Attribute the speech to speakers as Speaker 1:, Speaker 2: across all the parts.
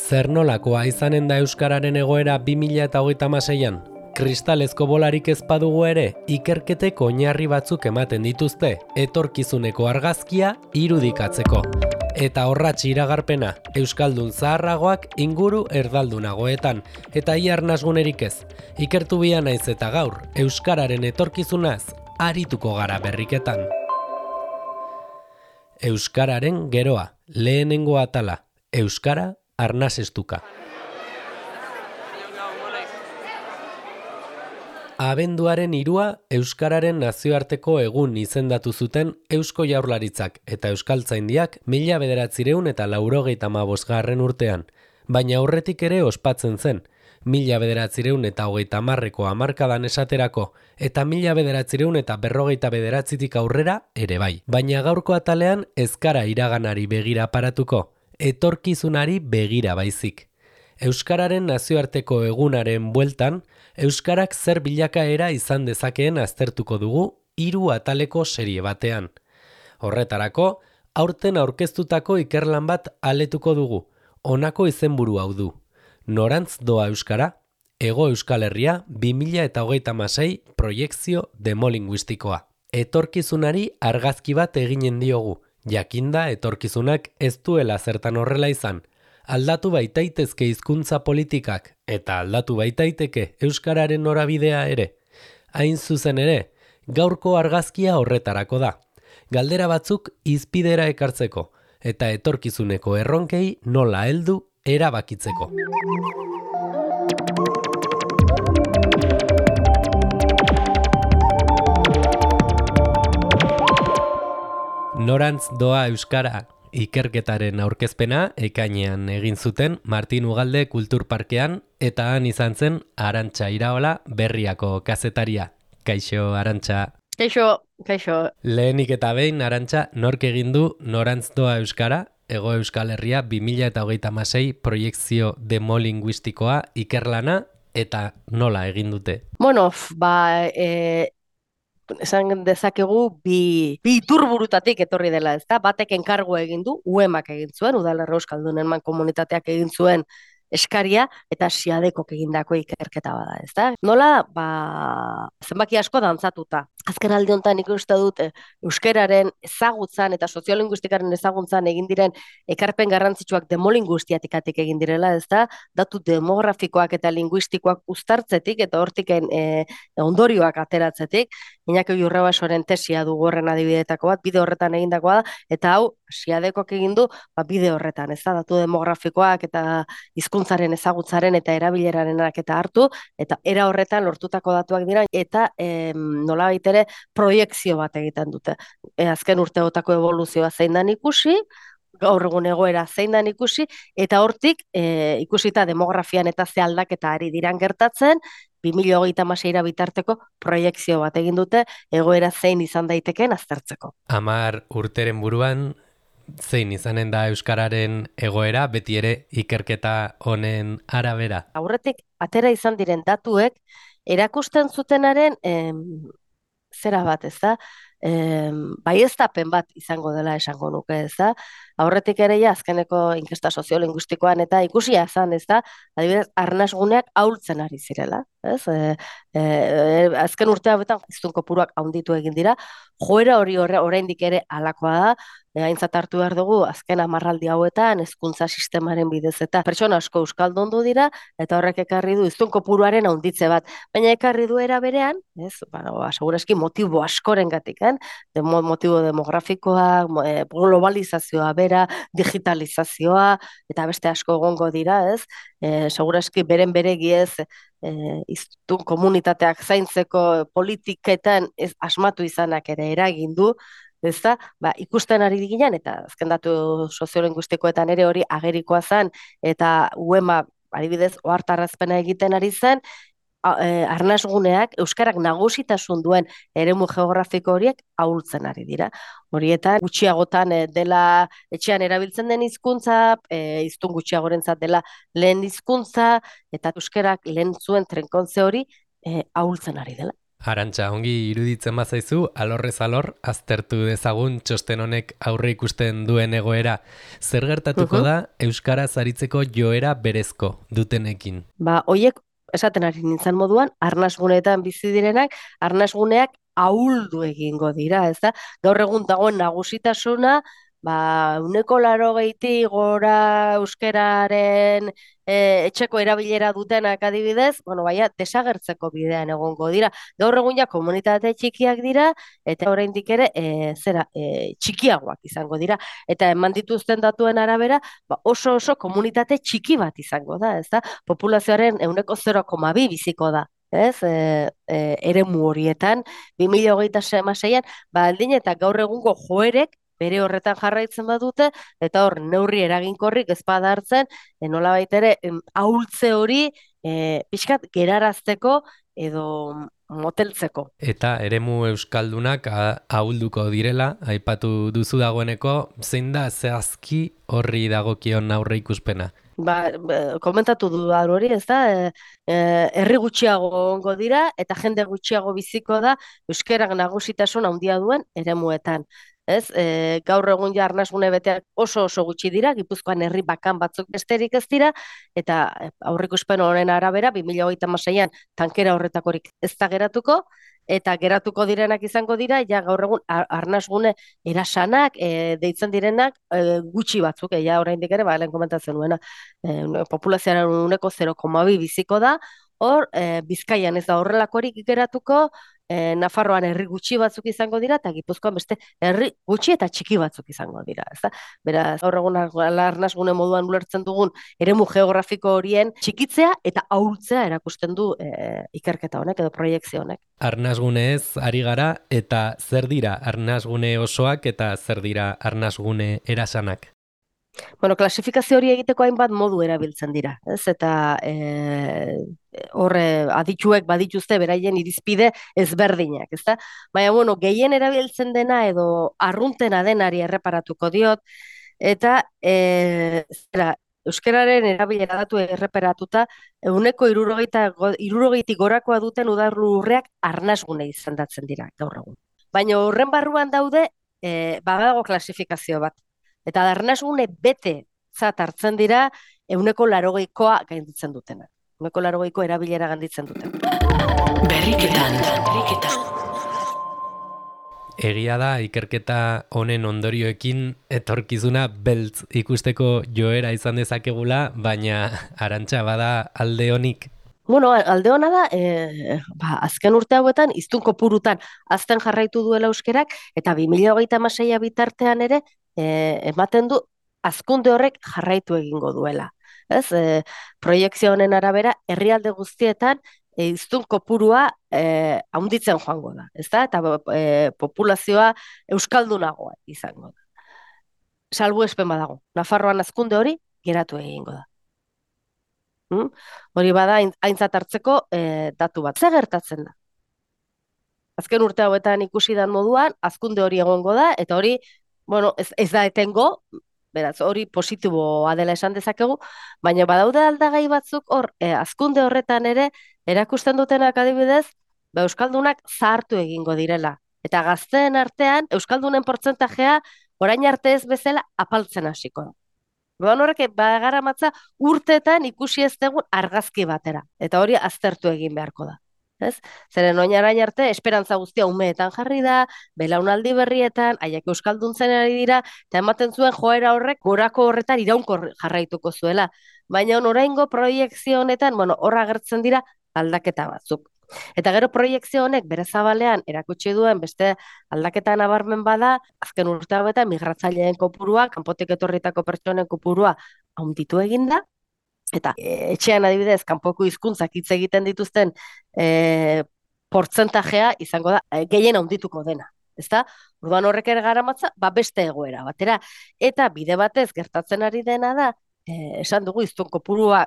Speaker 1: Zer nolakoa izanen da euskararen egoera 2036an? Kristalezko bolarik ez badugu ere, ikerketek oinarri batzuk ematen dituzte, etorkizuneko argazkia irudikatzeko. Eta horratx iragarpena, euskaldun zaharragoak inguru erdaldunagoetan, eta iarnasgunerik ez. Ikertu bia naiz eta gaur, euskararen etorkizunaz, arituko gara berriketan. Euskararen geroa, lehenengo atala, euskara arnasestuka. Abenduaren 3 euskararen nazioarteko egun izendatu zuten Eusko Jaurlaritzak eta Euskaltzaindiak 1985 urtean, baina aurretik ere ospatzen zen, 1930ko hamarkadan esaterako eta 1959tik aurrera ere bai. Baina gaurko atalean ez gara iraganari begira aparatuko, etorkizunari begira baizik. Euskararen nazioarteko egunaren bueltan, euskarak zer bilakaera izan dezakeen aztertuko dugu 3 ataleko serie batean. Horretarako, aurten aurkeztutako ikerlan bat aletuko dugu, honako izenburu hau du. Norantz doa euskara, Hego Euskal Herria 2026 proiekzio demolinguistikoa. Etorkizunari argazki bat eginen diogu, jakinda etorkizunak ez duela zertan horrela izan. Aldatu baitaitezke hizkuntza politikak eta aldatu baitaiteke euskararen norabidea ere. Hain zuzen ere, gaurko argazkia horretarako da. Galdera batzuk hizpidera ekartzeko eta etorkizuneko erronkei nola heldu erabakitzeko. Norantz doa euskara ikerketaren aurkezpena ekainean egin zuten Martin Ugalde Kulturparkean eta han izan zen Arantxa Iraola Berriako kazetaria. Kaixo, Arantxa.
Speaker 2: Kaixo.
Speaker 1: Lehenik eta behin, Arantxa, nork egin du Norantz doa euskara, Hego Euskal Herria 2026 proiekzio demolinguistikoa ikerlana eta nola egin dute?
Speaker 2: Bueno, esan dezakegu bi iturburutatik etorri dela, ezta? Batek enkargu egin du, UEMak egin zuen, Udalerri Euskaldunen Mankomunitateak egin zuen eskaria eta Siadekok egindako ikerketa bada, ezta? Nola, zenbaki asko dantzatuta. Azken aldi honetan ikuste dut euskararen ezagutzan eta soziolinguistikaren ezagutzan egin diren ekarpen garrantzitsuak demolinguistiatik egin direla, ezta? Datu demografikoak eta linguistikoak uztartzetik eta hortiken ondorioak ateratzetik. Iñaki Urrebasoren tesia dugu horren adibideetako bat, bide horretan egindakoa da, eta hau Siadekok egin du bide horretan, ezta? Datu demografikoak eta hizkuntzaren ezagutzaren eta erabilerarenak eta hartu, eta era horretan lortutako datuak dira, eta nolabait ere proiekzio bat egiten dute. Azken urteotako evoluzioa zein dan ikusi, gaur egun egoera zein dan ikusi, eta hortik ikusita demografian eta ze aldaketa ari diran gertatzen, 2026 bitarteko proiekzio bat egin dute, egoera zein izan daitekeen aztertzeko.
Speaker 1: 10 urteren buruan, zein izanen da euskararen egoera, beti ere ikerketa honen arabera?
Speaker 2: Aurretik, atera izan diren datuek, erakusten zutenaren zera bat, ez da? Baieztapen bat izango dela esango nuke, ez da? Aurretik ere azkeneko inkesta soziolinguistikoan eta ikusia izan, ez da? Adibidez, arnasguneak ahultzen ari zirela, ez? Azken urte hauetan hiztun kopuruak handitu egin dira, joera hori oraindik ere halakoa da, aintzat hartu behar dugu, azken hamarraldi hauetan, hezkuntza sistemaren bidez eta pertsona asko euskaldundu dira, eta horrek ekarri du hiztun kopuruaren handitze bat. Baina ekarri du era berean, ez? Segurazki motibo askorengatik, motibo demografikoa, globalizazioa bera, digitalizazioa, eta beste asko egongo dira, ez? Segurazki beregi ez, hiztun komunitateak zaintzeko politiketan ez asmatu izanak ere eragin du, ezta? Ikusten ari diginan, eta azken datu soziolinguistikoetan ere hori agerikoa zen, eta UEMA adibidez ohartarazpena egiten ari zen, arnasguneak euskarak nagusitasun duen eremu geografiko horiek ahultzen ari dira. Horietan gutxiagotan dela etxean erabiltzen den hizkuntza, hiztun gutxiagorentzat dela lehen hizkuntza, eta euskarak lehen zuen trenkontze hori ahultzen ari dela.
Speaker 1: Arantxa, ongi iruditzen bazaizu, alorrez alor, aztertu dezagun txosten honek aurre ikusten duen egoera. Zer gertatuko da euskaraz aritzeko joera berezko dutenekin?
Speaker 2: Hoiek esaten ari nintzen moduan, arnasguneetan bizi direnak, arnasguneak ahuldu egingo dira, ez da? Gaur egun dagoen nagusitasuna, 80 gora euskararen etxeko erabilera dutenak adibidez, desagertzeko bidean egongo dira. Gaur egun ja komunitate txikiak dira, eta oraindik ere txikiagoak izango dira. Eta eman dituzten datuen arabera, oso komunitate txiki bat izango da, ez da? Populazioaren 0,2 biziko da. Ez, eremu horietan, 2026an, aldin eta gaur egungo joerek bere horretan jarraitzen badute, eta hor neurri eraginkorrik ez bada hartzen, nolabait ere ahultze hori pixkat gerarazteko edo moteltzeko.
Speaker 1: Eta eremu euskaldunak ahulduko direla, aipatu duzu dagoeneko, zein da zehazki horri dagokion aurre ikuspena?
Speaker 2: Komentatu du hori, ez da, herri gutxiago ongo dira, eta jende gutxiago biziko da euskerak nagusitasun handia duen eremuetan. Ez, gaur egun ja arnasgune beteak oso gutxi dira, Gipuzkoan herri bakan batzuk besterik ez dira, eta aurreikuspen honen arabera, 2026an tankera horretakorik ez da geratuko, eta geratuko direnak izango dira, ja gaur egun arnasgune erasanak, deitzen direnak gutxi batzuk, ja oraindik ere, lehen komentatzen nuena, populazioaren 0,2 biziko da, hor, Bizkaian ez da horrelakorik geratuko, Nafarroan herri gutxi batzuk izango dira, eta Gipuzkoan beste herri gutxi eta txiki batzuk izango dira. Ezta? Beraz, gaur egun arnasgune moduan ulertzen dugun eremu geografiko horien txikitzea eta ahultzea erakusten du ikerketa honek edo proiekzio honek.
Speaker 1: Arnasgunez ari gara, eta zer dira arnasgune osoak eta zer dira arnasgune erasanak?
Speaker 2: Klasifikazio hori egiteko hainbat modu erabiltzen dira, ez? Eta horre adituek badituzte beraien irizpide ezberdinak, ezta? Baina, gehien erabiltzen dena edo arruntena denari erreparatuko diot, eta euskararen erabilera datu erreparatuta, 60 gorakoa duten udarlurreak arnasgune izendatzen dira gaur egun. Baina horren barruan daude, badago klasifikazio bat. Eta arnasgune bete zat hartzen dira 80koa gainditzen dutena. 80ko erabilera gainditzen duten.
Speaker 3: Berriketan.
Speaker 1: Egia da, ikerketa honen ondorioekin etorkizuna beltz ikusteko joera izan dezakegula, baina Arantxa bada alde honik.
Speaker 2: Alde hona da, azken urte hauetan, hiztun kopurutan azten jarraitu duela euskerak, eta 2026 bitartean ere, ematen du hazkunde horrek jarraitu egingo duela. Ez? Proiekzio honen arabera, herrialde guztietan, hiztun kopurua handitzen joango da. Ezta? Eta populazioa euskaldunagoa izango da. Salbuespen badago. Nafarroan hazkunde hori geratu egingo da. Hori bada aintzat hartzeko datu bat. Zer gertatzen da? Azken urte hauetan ikusi dan moduan, hazkunde hori egongo da, eta hori, ez da etengo, beraz, hori positiboa dela esan dezakegu, baina badaude aldagai batzuk hor, hazkunde horretan ere, erakusten dutenak adibidez, euskaldunak zahartu egingo direla. Eta gazteen artean, euskaldunen portzentajea, orain arte ez bezala apaltzen hasiko da. Horrek bagaramatza urteetan ikusi ez dugun argazki batera. Eta hori aztertu egin beharko da. Ez? Zeren orain arte, esperantza guztia umeetan jarri da, belaunaldi berrietan, haiek euskalduntzen ari dira, eta ematen zuen joera horrek gorako horretan iraunkor jarraituko zuela. Baina oraingo proiekzio honetan, horra agertzen dira aldaketa batzuk. Eta gero proiekzio honek bere zabalean erakutsi duen beste aldaketa nabarmen bada, azken urte hauetan migratzaileen kopurua, kanpotik etorritako pertsonen kopurua handitu egin da, eta etxean adibidez, kanpoko hizkuntzak hitz egiten dituzten portzentajea izango da, gehien handituko dena. Ezta? Orduan horrek ere garamatza, beste egoera batera. Eta bide batez gertatzen ari dena da, esan dugu hiztun kopurua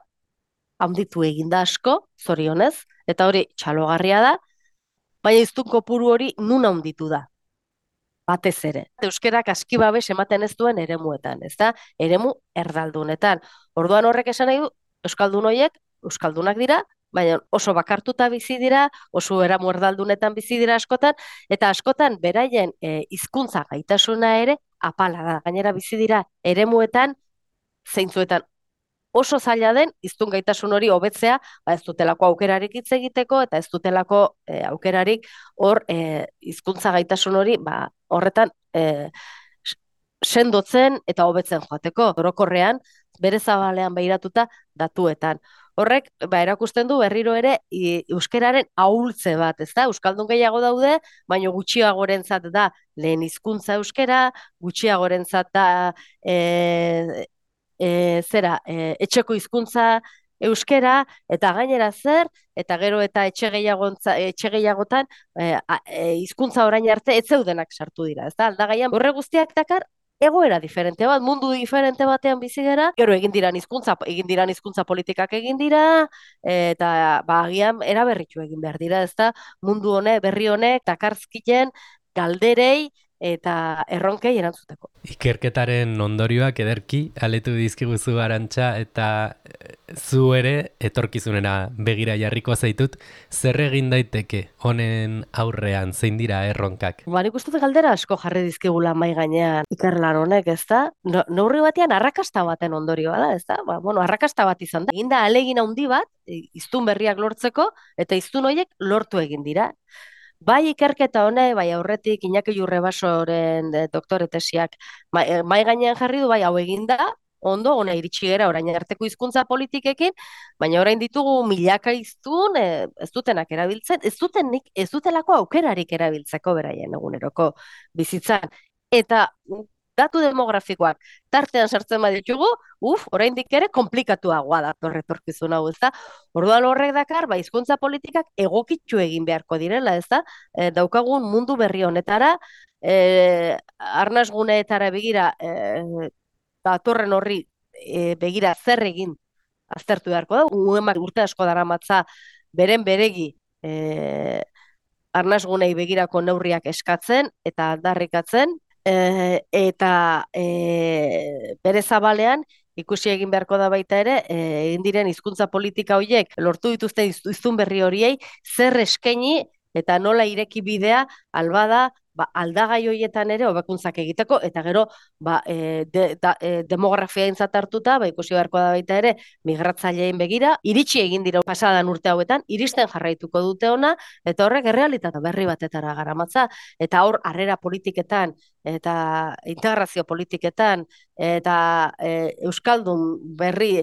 Speaker 2: handitu eginda asko, zorionez, eta hori txalogarria da, baina hiztun kopuru hori nun handitu da, batez ere. Euskerak aski babes ematen ez duen eremuetan, ez da? Eremu erdaldunetan. Orduan horrek esan nahi du, euskaldun horiek, euskaldunak dira, baina oso bakartuta bizi dira, oso eramu erdaldunetan bizi dira askotan, eta askotan beraien hizkuntza gaitasuna ere apala da. Gainera bizi dira eremuetan, zeintzuetan oso zaila den hiztun gaitasun hori hobetzea, ez dutelako aukerarik hitz egiteko eta ez dutelako aukerarik hor hizkuntza gaitasun hori horretan sendotzen eta hobetzen joateko. Orokorrean bere zabalean begiratuta datuetan. Horrek erakusten du berriro ere euskararen ahultze bat, ezta? Euskaldun gehiago daude, baina gutxiagorentzat da lehen hizkuntza euskara, gutxiagorentzat da etxeko hizkuntza euskara, eta gainera zer, eta gero eta etxe gehiagotan hizkuntza orain arte ez zeudenak sartu dira, ezta? Aldagaian horre guztiak dakar egoera diferente bat, mundu diferente batean bizi gara, gero egin diran hizkuntza politikak egin dira, eta agian eraberritu egin behar dira, ezta? Mundu berri honek dakarzkien galderei eta erronkei erantzuteko.
Speaker 1: Ikerketaren ondorioak ederki aletu dizkiguzu Arantxa, eta zu ere etorkizunera begira jarriko zaitut, zer egin daiteke honen aurrean, zein dira erronkak?
Speaker 2: Nik uste dut galdera asko jarri dizkigula mahai gainean ikerlan honek, ezta? Neurri batean arrakasta baten ondorioa da, ezta? Arrakasta bat izan da. Egin da ahalegin handi bat, hiztun berriak lortzeko, eta hiztun horiek lortu egin dira. Bai ikerketa honek, bai aurretik Iñaki Jurrebasoren doktore tesiak mahai gainean jarri du, bai hau egin da, ondo, hona iritsi gera orain arteko hizkuntza politikekin, baina orain ditugu milaka hiztun, ez dutenak erabiltzen, ez dutelako aukerarik erabiltzeko beraien eguneroko bizitzan. Eta datu demografikoak tartean sartzen baditugu, oraindik ere komplikatuagoa da etorkizun hau, ezta? Orduan horrek dakar, hizkuntza politikak egokitu egin beharko direla, ezta? Daukagun mundu berri honetara, arnasguneetara begira, datorren horri begira zer egin aztertu beharko da. Uemak urte asko daramatza beren beregi arnasgunei begirako neurriak eskatzen eta aldarrikatzen, eta bere zabalean ikusi egin beharko da baita ere, egin diren hizkuntza politika horiek lortu dituzten hiztun berri horiei zer eskaini eta nola ireki bidea albada aldagai horietan ere hobekuntzak egiteko, eta gero demografia aintzat hartuta, ikusi beharko da baita ere migratzaileen begira, iritsi egin dira pasadan urte hauetan, iristen jarraituko dute ona, eta horrek errealitate berri batetara garamatza, eta hor harrera politiketan eta integrazio politiketan eta euskaldun berri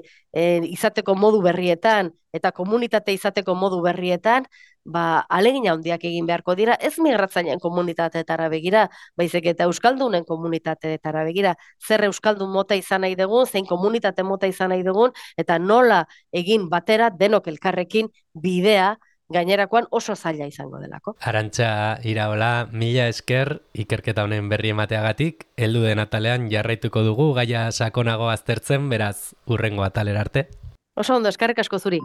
Speaker 2: izateko modu berrietan eta komunitate izateko modu berrietan, ahalegin handiak egin beharko dira, ez migratzaileen komunitateetara begira, baizik eta euskaldunen komunitateetara begira, zer euskaldun mota izan nahi dugun, zein komunitate mota izan nahi dugun, eta nola egin batera denok elkarrekin bidea, gainerakoan oso zaila izango delako.
Speaker 1: Arantxa Iraola, mila esker ikerketa honen berri emateagatik, heldu den atalean jarraituko dugu gaia sakonago aztertzen, beraz hurrengo atalera arte.
Speaker 2: Oso ondo, eskerrik asko zuri.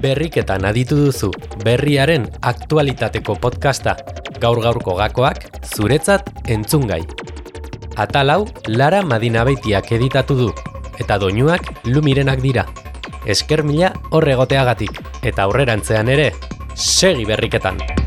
Speaker 1: Berriketan aditu duzu, berriaren aktualitateko podcasta, gaur-gaurko gakoak, zuretzat entzungai. Atal hau Lara Madinabeitiak editatu du, eta doinuak Lumirenak dira. Esker mila horregoteagatik, eta aurrerantzean ere, segi berriketan!